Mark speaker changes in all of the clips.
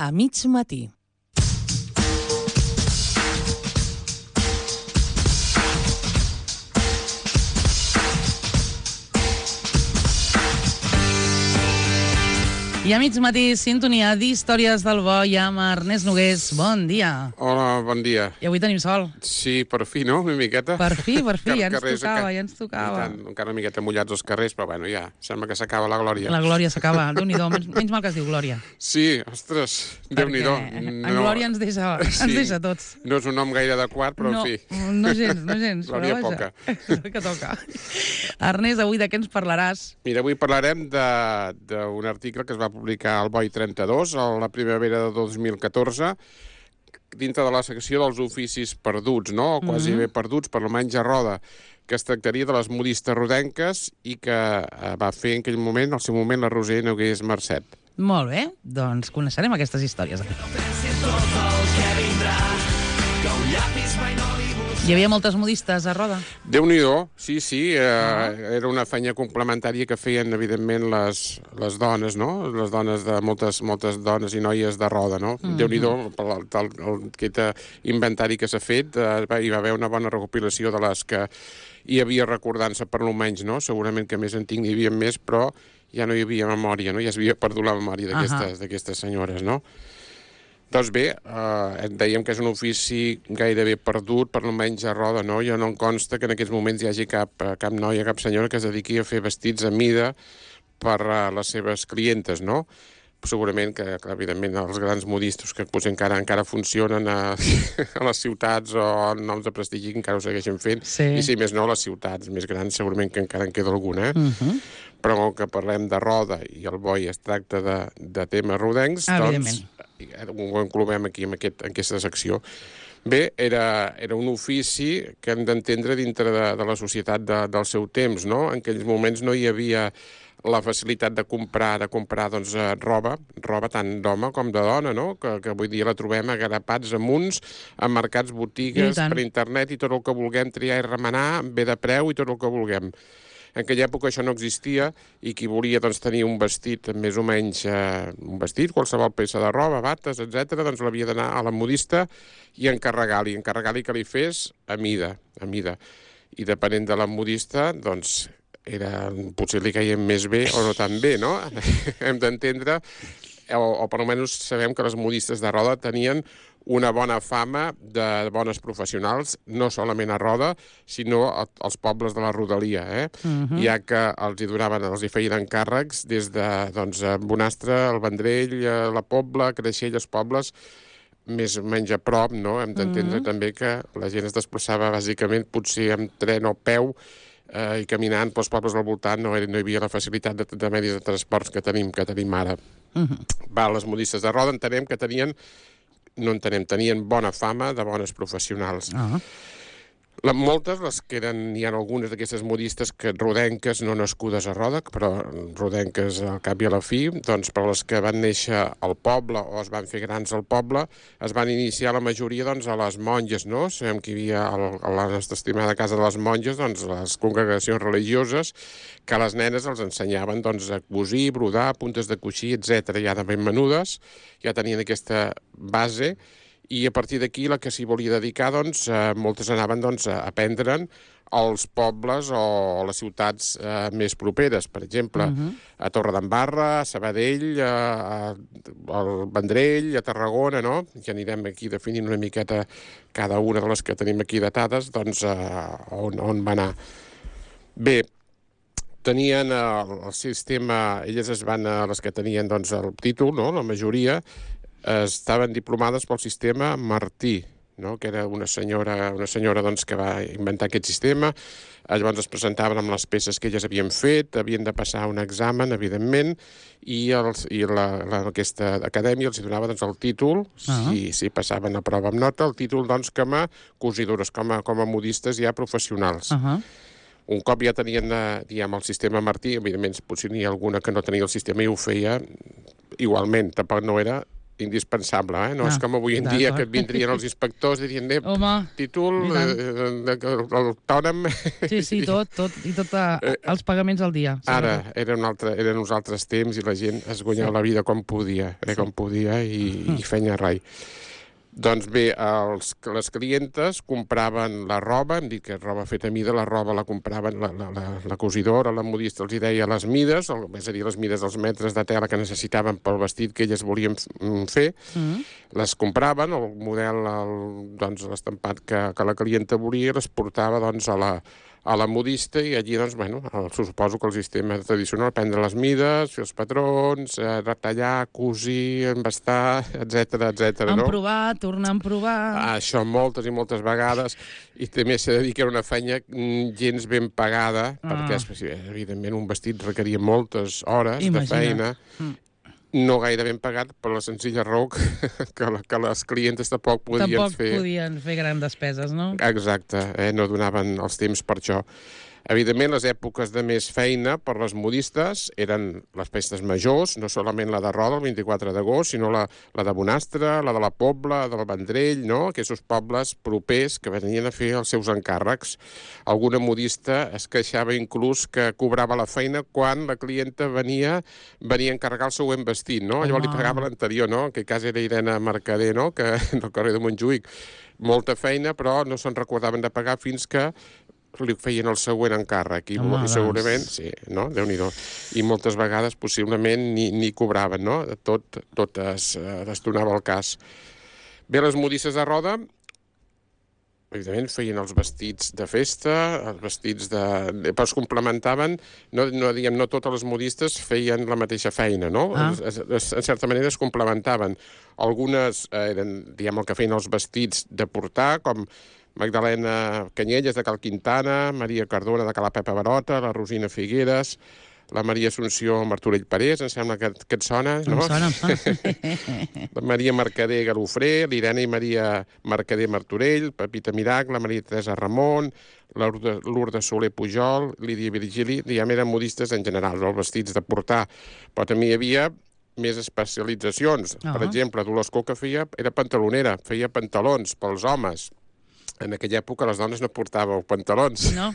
Speaker 1: a mig matí. I a mig matí, sintonia d'Històries del Bo i amb Ernest Nogués. Bon dia.
Speaker 2: Hola, bon dia.
Speaker 1: I avui tenim sol.
Speaker 2: Sí, per fi, no? Una miqueta.
Speaker 1: Per fi, ja ens tocava.
Speaker 2: Encara una miqueta mullats els carrers, però bueno, ja, sembla que s'acaba la glòria.
Speaker 1: La glòria s'acaba, Déu-n'hi-do, menys mal que es diu glòria.
Speaker 2: Sí, ostres, Déu-n'hi-do.
Speaker 1: En glòria ens deixa tots.
Speaker 2: No és un nom gaire adequat, però en fi.
Speaker 1: No gens.
Speaker 2: Glòria poca.
Speaker 1: Que toca. Ernest, avui de què ens parlaràs?
Speaker 2: Mira, avui parlarem d'un article que es va publicar al Boi 32, a la primavera de 2014, dintre de la secció dels oficis perduts, no? O quasi bé perduts, per almenys a Roda, que es tractaria de les modistes rodenques i que va fer en aquell moment, al seu moment, la Roser Nogués Marcet.
Speaker 1: Molt bé, doncs coneixerem aquestes històries. Hi havia moltes modistes a Roda?
Speaker 2: Déu-n'hi-do, sí, era una feina complementària que feien, evidentment, les dones, no? Les dones de moltes dones i noies de Roda, no? Déu-n'hi-do, aquest inventari que s'ha fet, hi va haver una bona recopilació de les que hi havia recordant-se, per almenys, no? Segurament que més antic n'hi havia més, però ja no hi havia memòria, no? Ja s'havia perdut la memòria d'aquestes senyores, no? Doncs bé, dèiem que és un ofici gairebé perdut, per almenys a Roda, no? Jo no em consta que en aquests moments hi hagi cap noia, cap senyora que es dediqui a fer vestits a mida per a les seves clientes, no? Segurament que, evidentment, els grans modistes que potser encara funcionen a les ciutats o en noms de prestigi encara ho segueixen fent.
Speaker 1: Sí.
Speaker 2: I si més no, les ciutats més grans segurament que encara en queda alguna, Però com que parlem de Roda i el Boi es tracta de temes rodencs, doncs ho englobem aquí en aquesta secció. Bé, era un ofici que hem d'entendre dintre de la societat del seu temps, no? En aquells moments no hi havia la facilitat de comprar doncs, roba tant d'home com de dona, no? Que avui dia la trobem a garapats amunts, a mercats, botigues, per internet, i tot el que vulguem triar i remenar, bé de preu i tot el que vulguem. En aquella època això no existia i qui volia doncs, tenir un vestit més o menys, qualsevol peça de roba, bates, etc., doncs l'havia d'anar a la modista i encarregar-li que li fes a mida. I depenent de la modista, doncs, potser li caien més bé o no tan bé, no? Hem d'entendre, o per almenys sabem que les modistes de Roda tenien una bona fama de bones professionals, no solament a Roda, sinó als pobles de la rodalia, ja que els hi feien encàrrecs des de Bonastre, el Vendrell, la Pobla, Creixell, els pobles més o menys a prop, no? Hem d'entendre també que la gent es desplaçava bàsicament potser amb tren o peu i caminant pels pobles al voltant, no hi havia la facilitat de medis de transports que tenim ara. Les modistes de Roda tenien bona fama de bones professionals. Moltes, n'hi ha algunes d'aquestes modistes rodenques, no nascudes a Roda, però rodenques al cap i a la fi, doncs per les que van néixer al poble o es van fer grans al poble, es van iniciar la majoria a les monges, no? Sabem que hi havia a la nostra estimada casa de les monges, les congregacions religioses, que a les nenes els ensenyaven a cosir, brodar, puntes de coixí, etc. Ja de ben menudes, ja tenien aquesta base. I a partir d'aquí, la que s'hi volia dedicar, moltes anaven a aprendre'n als pobles o les ciutats més properes. Per exemple, a Torredembarra, a Sabadell, al Vendrell, a Tarragona, no? Ja anirem aquí definint una miqueta cada una de les que tenim aquí datades, on va anar. Bé, tenien el sistema, les que tenien el títol, no? La majoria, estaven diplomades pel sistema Martí, no? Que era una senyora que va inventar aquest sistema. Llavors es presentaven amb les peces que elles havien fet, havien de passar un examen, evidentment, i aquesta acadèmia els donava el títol, si passaven a prova amb nota, el títol com a cosidores, com a modistes ja professionals. Un cop ja tenien, el sistema Martí, evidentment potser n'hi ha alguna que no tenia el sistema i ho feia igualment, tampoc no era indispensable, no és com avui en dia que et vindrien els inspectors i dirien, títol, autònom...
Speaker 1: Sí, tot, i tot els pagaments al dia.
Speaker 2: Ara, eren uns altres temps i la gent es guanyava la vida com podia, i feia rai. Doncs bé, les clientes compraven la roba, hem dit que roba feta a mida, la roba la compraven, la cosidora, la modista els hi deia les mides, és a dir, les mides dels metres de tela que necessitaven pel vestit que elles volien fer, les compraven, el model, doncs, l'estampat que la clienta volia, les portava doncs, a la modista i allí, doncs, bueno, suposo que el sistema tradicional, prendre les mides, fer els patrons, retallar, cosir, embastar, etc, no?
Speaker 1: Emprovar, tornar a emprovar...
Speaker 2: Això moltes i moltes vegades, i també s'ha de dir que era una feina gens ben pagada, perquè, evidentment, un vestit requeria moltes hores de feina, no gaire ben pagat per la senzilla raó que les clientes tampoc podien
Speaker 1: fer grans despeses, no?
Speaker 2: Exacte, no donaven els temps per això. Evidentment, les èpoques de més feina per les modistes eren les festes majors, no solament la de Roda, el 24 d'agost, sinó la de Bonastre, la de la Pobla, del Vendrell, no? Aquests pobles propers que venien a fer els seus encàrrecs. Alguna modista es queixava inclús que cobrava la feina quan la clienta venia a encarregar el següent vestit, no? Llavors li pagava l'anterior, no? En aquest cas era Irene Mercader, no? Que del carrer de Montjuïc. Molta feina, però no se'n recordaven de pagar fins que li feien el següent encàrrec i segurament, sí, no? Déu-n'hi-do. I moltes vegades possiblement ni cobraven, no? Tot es donava el cas. Bé, les modistes de Roda, evidentment, feien els vestits de festa, els vestits però es complementaven, no totes les modistes feien la mateixa feina, no? En certa manera es complementaven. Algunes eren, diguem, el que feien els vestits de portar, com Magdalena Canyelles de Cal Quintana, Maria Cardona de Cala Pepa Barota, la Rosina Figueres, la Maria Assumpció Martorell Parés, em sembla que et sona, no?
Speaker 1: Em sona.
Speaker 2: La Maria Mercader Galofré, l'Irene i Maria Mercader Martorell, Pepita Miracle, la Maria Teresa Ramon, Lourdes Soler Pujol, Lídia Virgili, diguem, eren modistes en general, els vestits de portar, però també hi havia més especialitzacions. Per exemple, Dolors Coca era pantalonera, feia pantalons pels homes. En aquella època les dones no portàveu pantalons.
Speaker 1: No,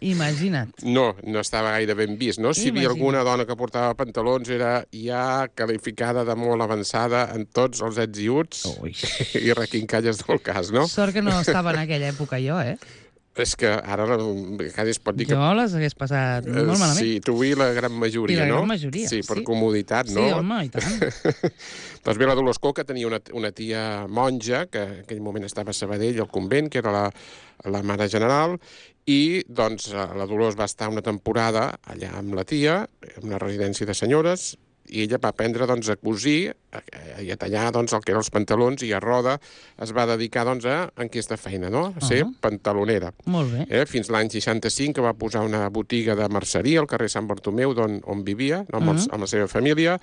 Speaker 1: imagina't.
Speaker 2: No estava gaire ben vist, no? Si hi havia alguna dona que portava pantalons era ja qualificada de molt avançada en tots els ets i uts i requincalles del cas, no?
Speaker 1: Sort que no estava en aquella època jo,
Speaker 2: És que ara quasi es pot dir que...
Speaker 1: Jo les hagués passat molt malament.
Speaker 2: Sí, tu i la gran majoria, no?
Speaker 1: I la gran majoria,
Speaker 2: sí. Per comoditat, no?
Speaker 1: Sí, home, i tant.
Speaker 2: Doncs bé, la Dolors Coca tenia una tia monja, que en aquell moment estava a Sabadell, al convent, que era la mare general, i doncs la Dolors va estar una temporada allà amb la tia, en una residència de senyores, i ella va aprendre doncs, a cosir i a tallar doncs, el que eren els pantalons, i a Roda es va dedicar doncs, a aquesta feina, no? A ser pantalonera.
Speaker 1: Molt bé.
Speaker 2: Fins l'any 65 que va posar una botiga de merceria al carrer Sant Bartomeu, on vivia, no? amb la seva família,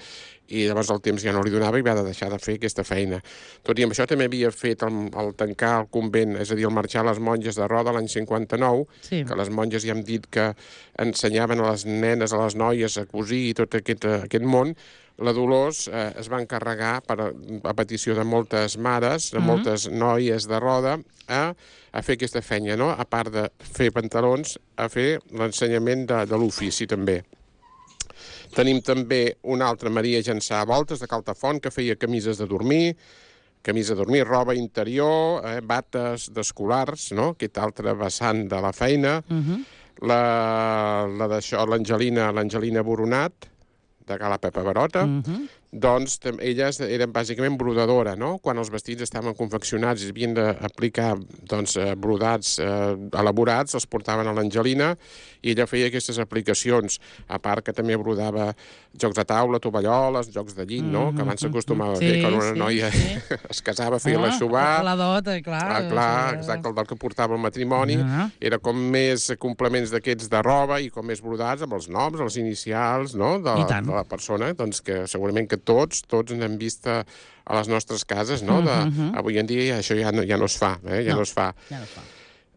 Speaker 2: i llavors el temps ja no li donava i va deixar de fer aquesta feina. Tot i amb això també havia fet el tancar el convent, és a dir, el marxar a les monges de Roda l'any 59, que les monges ja hem dit que ensenyaven a les nenes, a les noies a cosir i tot aquest món. La Dolors es va encarregar, a petició de moltes mares, de moltes noies de Roda, a fer aquesta feina, no? A part de fer pantalons, a fer l'ensenyament de l'ofici també. Tenim també una altra Maria Jançà Voltes, de Caltafont, que feia camises de dormir, roba interior, bates d'escolars, no? Aquest altre vessant de la feina. L'Angelina Boronat, de Cala Pepa Barota, doncs elles eren bàsicament brodadora, no? Quan els vestits estaven confeccionats i havien d'aplicar brodats elaborats, els portaven a l'Angelina i ella feia aquestes aplicacions, a part que també brodava jocs de taula, tovalloles, jocs de llit, no? Que abans s'acostumava a fer quan una noia es casava, feia l'aixovar.
Speaker 1: La dot, clar.
Speaker 2: Exacte, el del que portava el matrimoni. Era com més complements d'aquests de roba i com més brodats amb els noms, els inicials, no? De la persona, doncs que segurament que tots n'hem vist a les nostres cases, no? Avui en dia això ja no es fa, ja no es fa.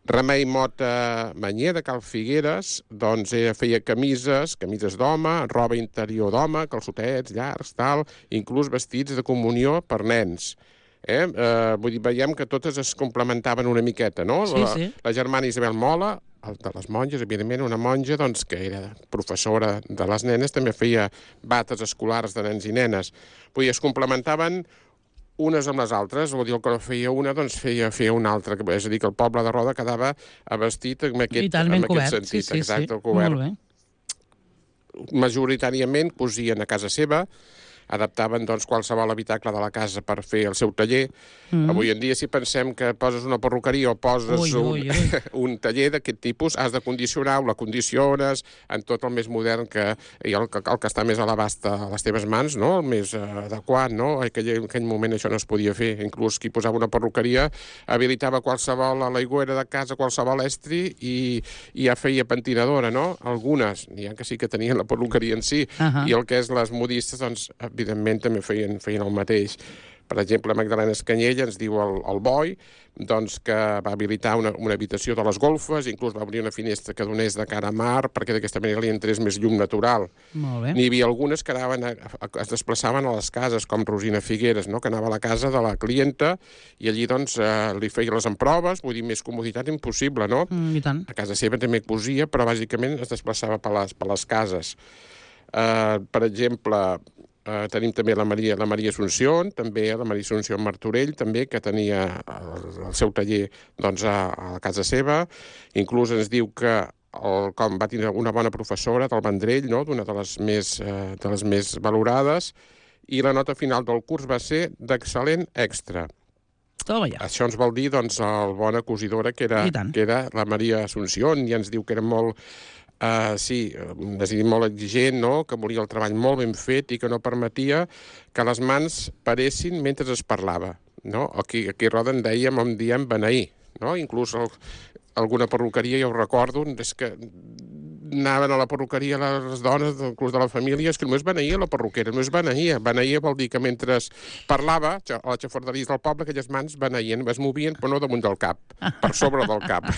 Speaker 2: Remei Mota Manyer, de Cal Figueres, doncs feia camises d'home, roba interior d'home, calçotets, llargs, tal, inclús vestits de comunió per nens. Vull dir, veiem que totes es complementaven una miqueta, no?
Speaker 1: Sí.
Speaker 2: La germana Isabel Mola, de les monges, evidentment, una monja doncs, que era professora de les nenes, també feia bates escolars de nens i nenes. Vull dir, es complementaven unes amb les altres, vol dir, el que feia una, doncs feia una altra. És a dir, que el poble de Roda quedava vestit amb aquest sentit.
Speaker 1: Sí,
Speaker 2: exacte, el cobert.
Speaker 1: Molt bé.
Speaker 2: Majoritàriament cosien a casa seva, adaptaven doncs, qualsevol habitacle de la casa per fer el seu taller. Avui en dia, si pensem que poses una perruqueria o poses un taller d'aquest tipus, has de condicionar-ho, la condiciones en tot el més modern i el que està més a l'abast a les teves mans, no? El més adequat, no? En aquell moment això no es podia fer. Inclús qui posava una perruqueria habilitava qualsevol aigüera de casa, qualsevol estri i ja feia pentinadora, no? Algunes, n'hi ha que sí que tenien la perruqueria en si, i el que és les modistes, doncs, evidentment també feien el mateix. Per exemple, Magdalena Escanyell ens diu el Boi, doncs, que va habilitar una habitació de les golfes, inclús va obrir una finestra que donés de cara a mar, perquè d'aquesta manera li entrés més llum natural.
Speaker 1: Molt bé.
Speaker 2: N'hi havia algunes que es desplaçaven a les cases, com Rosina Figueres, no? Que anava a la casa de la clienta i allí doncs, li feia les emproves, vull dir, més comoditat impossible, no?
Speaker 1: I tant.
Speaker 2: A casa seva també cosia, però bàsicament es desplaçava per les cases. Per exemple, tenim també la Maria Assumpció, també la Maria Assumpció Martorell, també, que tenia el seu taller doncs, a la casa seva. Inclús ens diu que com va tenir una bona professora del Vendrell, no? D'una de les més valorades, i la nota final del curs va ser d'excel·lent extra.
Speaker 1: Toma ja.
Speaker 2: Això ens vol dir, doncs, el bona cosidora que era la Maria Assumpció, i ens diu que era molt... molt exigent, no? Que volia el treball molt ben fet i que no permetia que les mans paressin mentre es parlava, no? Aquí a Roda en diem beneir, no? Inclús alguna perruqueria, jo ho recordo, és que anaven a la perruqueria les dones, inclús de la família, és que només beneïa la perruquera, només beneïa. Beneïa vol dir que mentre parlava, a la xafarderia del poble, aquelles mans beneïen, es movien, però no damunt del cap, per sobre del cap.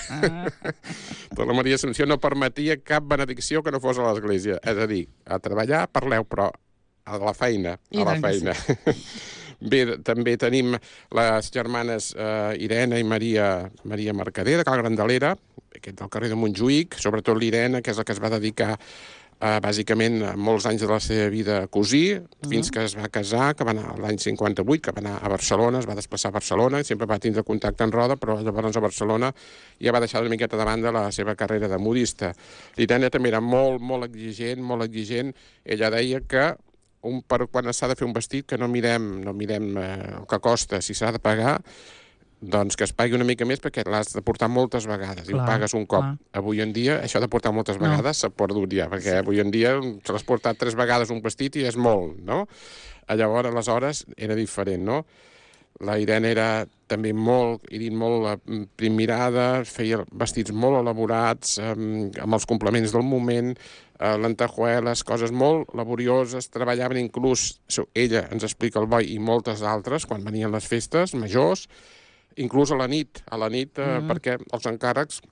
Speaker 2: Però la Maria Assumpció no permetia cap benedicció que no fos a l'església. És a dir, a treballar, parleu, però a la feina, Bé, també tenim les germanes Irene i Maria Mercader, de Cal Grandelera, aquest del carrer de Montjuïc, sobretot l'Irene, que és la que es va dedicar bàsicament molts anys de la seva vida a cosir, fins que es va casar, que va anar l'any 58, que va anar a Barcelona, es va desplaçar a Barcelona, sempre va tindre contacte en Roda, però llavors a Barcelona ja va deixar una miqueta de banda la seva carrera de modista. L'Irene també era molt exigent. Ella deia que quan s'ha de fer un vestit, que no mirem el que costa, si s'ha de pagar, doncs que es pagui una mica més perquè l'has de portar moltes vegades i ho pagues un cop. Avui en dia això de portar moltes vegades s'ha perdut ja, perquè avui en dia se l'has portat 3 vegades un vestit i és molt, no? Llavors, aleshores, era diferent, no? La Irene era també molt primmirada, feia vestits molt elaborats, amb els complements del moment, lentejueles, coses molt laborioses, treballaven inclús, ella ens explica el Boi i moltes altres, quan venien les festes majors, inclús a la nit, perquè els encàrrecs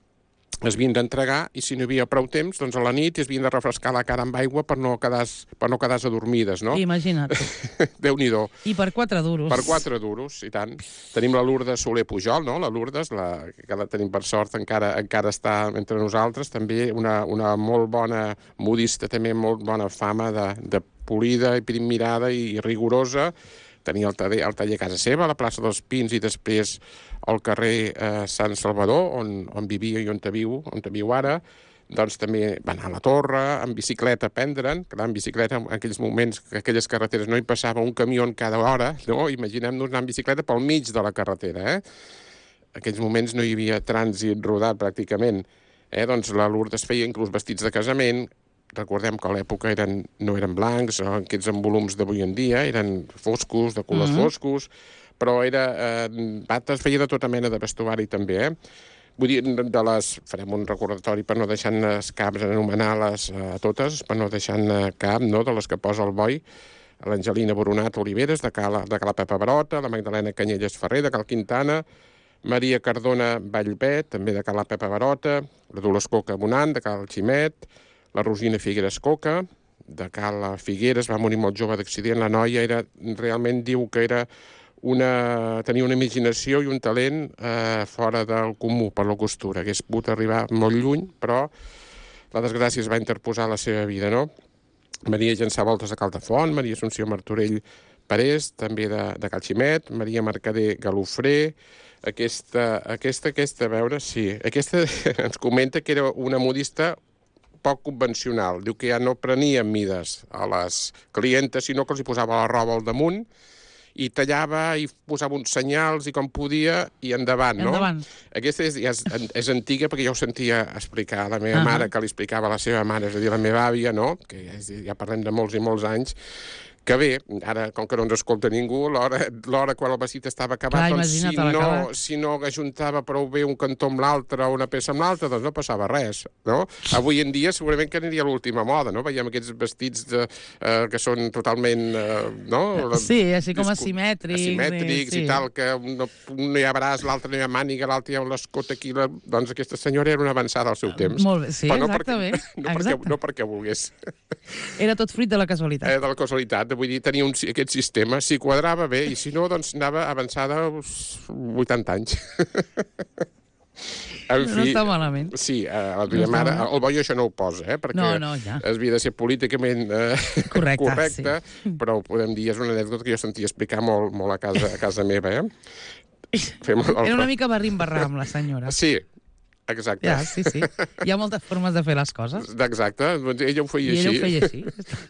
Speaker 2: es havien d'entregar i si no hi havia prou temps, doncs a la nit es havien de refrescar la cara amb aigua per no quedar adormides, no?
Speaker 1: Imagina't.
Speaker 2: Déu-n'hi-do.
Speaker 1: I per 4 duros.
Speaker 2: Per 4 duros, i tant. Tenim la Lourdes Soler Pujol, no? La Lourdes, que la tenim per sort, encara està entre nosaltres, també una molt bona modista, també molt bona fama de polida i primmirada i rigorosa. Tenia el taller a casa seva, a la plaça dels Pins, i després al carrer Sant Salvador, on vivia i on viu ara. Doncs també va anar a la Torre, en bicicleta a prendre'n, clar, en bicicleta en aquells moments, que aquelles carreteres no hi passava un camió cada hora, no? Imaginem-nos anar en bicicleta pel mig de la carretera, En aquells moments no hi havia trànsit rodat pràcticament, Doncs la Lourdes feia inclús vestits de casament. Recordem que a l'època no eren blancs, aquests en volums d'avui en dia, eren foscos, de colors foscos, però bates feia de tota mena de vestuari també, Vull dir, farem un recordatori per no deixar-ne caps, anomenar-les totes, per no deixar-ne cap, no?, de les que posa el Boi, l'Angelina Boronat Oliveres, de Cala Pepa Barota, la Magdalena Canyelles Ferrer, de Cal Quintana, Maria Cardona Vallbet, també de Cal la Pepa Barota, la Dolors Coca Bonant, de Cal Ximet, la Rosina Figueres Coca, de Cal Figueres, va morir molt jove d'accident. La noia realment diu que tenia una imaginació i un talent fora del comú per la costura. Hagués pogut arribar molt lluny, però la desgràcia es va interposar a la seva vida, no? Maria Llançà Voltes de Caldefont, Maria Assumpció Martorell Parés, també de Cal Ximet, Maria Mercader Galofré, aquesta, a veure, sí, aquesta ens comenta que era una modista poc convencional. Diu que ja no prenia mides a les clientes, sinó que els hi posava la roba al damunt i tallava i posava uns senyals i com podia i endavant, no?
Speaker 1: Endavant.
Speaker 2: Aquesta és antiga perquè jo ho sentia explicar a la meva mare, que li explicava a la seva mare, és a dir, la meva àvia, no? Que ja parlem de molts i molts anys, que bé, ara, com que no ens escolta ningú, l'hora quan el vestit estava acabat, doncs si no ajuntava prou bé un cantó amb l'altre o una peça amb l'altra, doncs no passava res, no? Avui en dia segurament que aniria l'última moda, no? Veiem aquests vestits que són totalment, no?
Speaker 1: Sí, així com asimètrics.
Speaker 2: Asimètrics i tal, que un no hi ha braç, l'altre no hi ha màniga, l'altre hi ha l'escot aquí, doncs aquesta senyora era una avançada al seu temps.
Speaker 1: Molt bé, sí, exactament.
Speaker 2: No perquè volgués.
Speaker 1: Era tot fruit de la casualitat.
Speaker 2: De la casualitat. Vull dir, tenia aquest sistema, si quadrava bé, i si no, doncs anava avançada uns 80 anys. En fi,
Speaker 1: no està malament.
Speaker 2: Sí, la meva mare, el Boi això no ho posa, perquè ja havia de ser políticament correcte, però ho podem dir, és una anècdota que jo sentia explicar molt a casa meva.
Speaker 1: Era una mica barrim-barrar amb la senyora.
Speaker 2: Sí, exacte.
Speaker 1: Ja, sí. Hi ha moltes formes de fer les coses.
Speaker 2: Exacte. Ella ho feia així.
Speaker 1: I ella ho feia així.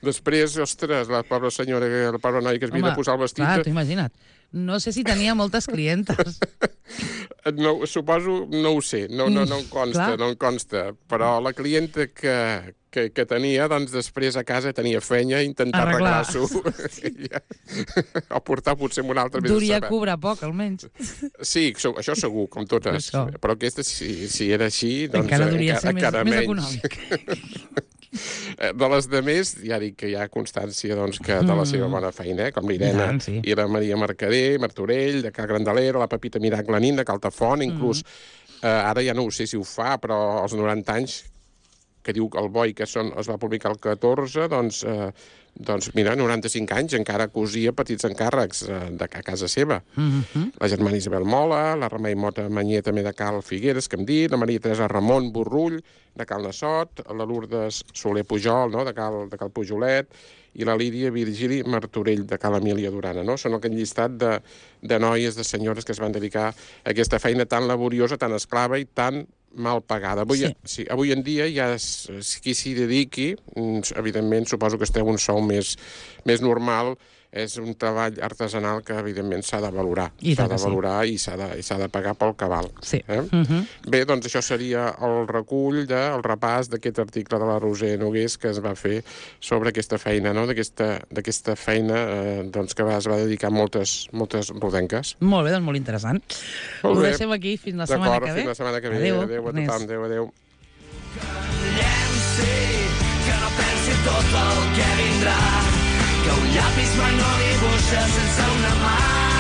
Speaker 2: Després, ostres, la pobra senyora, la pobra noia que es havia de posar el vestit...
Speaker 1: Clar, t'ho imagina't. No sé si tenia moltes clientes.
Speaker 2: No, suposo, no ho sé, no em consta, però la clienta que tenia, doncs després a casa tenia feina a intentar arreglar-s'ho. O portar potser amb un altre més de saber.
Speaker 1: Duria cobrar poc, almenys.
Speaker 2: Sí, això segur, com totes. Però aquesta, si era així, doncs
Speaker 1: encara duria ser més econòmic.
Speaker 2: De les demés, ja dic que hi ha constància de la seva bona feina, com l'Irena i la Maria Mercader, Martorell, de Cal Grandalera, la Pepita Miracle Nin, de Caltafont, inclús ara ja no ho sé si ho fa, però als 90 anys, que diu el Boi que es va publicar el 14, doncs mira, 95 anys encara cosia petits encàrrecs a casa seva. La germana Isabel Mola, la Remei Mota Manyer també de Cal Figueres, que hem dit, la Maria Teresa Ramon Borrull, de Cal Nassot, la Lourdes Soler Pujol, no?, de Cal Pujolet, i la Lídia Virgili Martorell, de Cal Emília Durana, no? Són aquell llistat de noies, de senyores que es van dedicar a aquesta feina tan laboriosa, tan esclava i tan mal pagada. Avui en dia ja qui s'hi dediqui, evidentment suposo que esteu un sou més normal, és un treball artesanal que evidentment s'ha de valorar. S'ha de valorar i s'ha de pagar pel cabal. Bé, doncs això seria el recull, el repàs d'aquest article de la Roser Nogués que es va fer sobre aquesta feina, no? D'aquesta feina que es va dedicar moltes rodenques.
Speaker 1: Molt bé, doncs molt interessant. Ho deixem aquí fins la setmana que ve.
Speaker 2: Fins la setmana que ve. Adéu a tothom. Adéu. Que no pensi tot el que vindrà, que un llapis mai no dibuixa sense una mà.